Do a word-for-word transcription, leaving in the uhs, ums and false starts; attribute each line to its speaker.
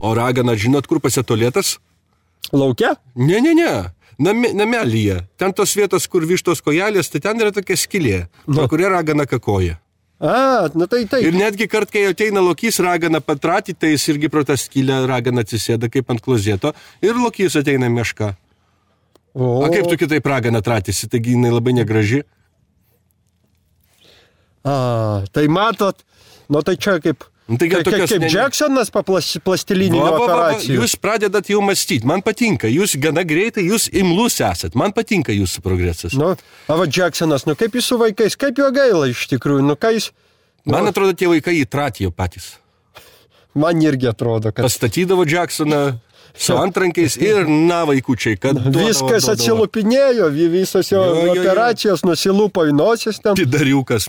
Speaker 1: O ragana, žinot, kur pasitolėtas?
Speaker 2: Lauke?
Speaker 1: Ne, ne, ne. Name, namelyje. Ten tos vietos, kur vištos kojelės, tai ten yra tokia skylė, no. Kuria ragana kakoja.
Speaker 2: A, nu tai taip.
Speaker 1: Ir netgi kart, kai ateina lokys ragana patratį, tai jis irgi pro tą skylę ragana atsisėda kaip ant klozėto ir lokys ateina meška. O, A kaip tu kitaip ragana tratėsi, taigi jinai labai negraži.
Speaker 2: A, tai matot, nu tai čia kaip...
Speaker 1: Tai
Speaker 2: kaip
Speaker 1: tokios,
Speaker 2: kaip Jacksonas po plastilininių
Speaker 1: va, va, va,
Speaker 2: operacijų.
Speaker 1: Jūs pradedat jau mąstyti, man patinka, jūs gana greitai, jūs imlus esat, man patinka jūsų progresas.
Speaker 2: Nu, a va Jacksonas, nu kaip jūs su vaikais, kaip jo gaila iš tikrųjų, nu ką jis... Nu,
Speaker 1: man atrodo, tie vaikai įtratėjo patys.
Speaker 2: Man irgi atrodo, kad...
Speaker 1: Pastatydavo Jacksoną su antrankiais ir na vaikučiai, kad...
Speaker 2: Viskas atsilupinėjo, visos jo, jo, jo operacijos, jo. Nusilupo į nosis ten.
Speaker 1: Tidariukas.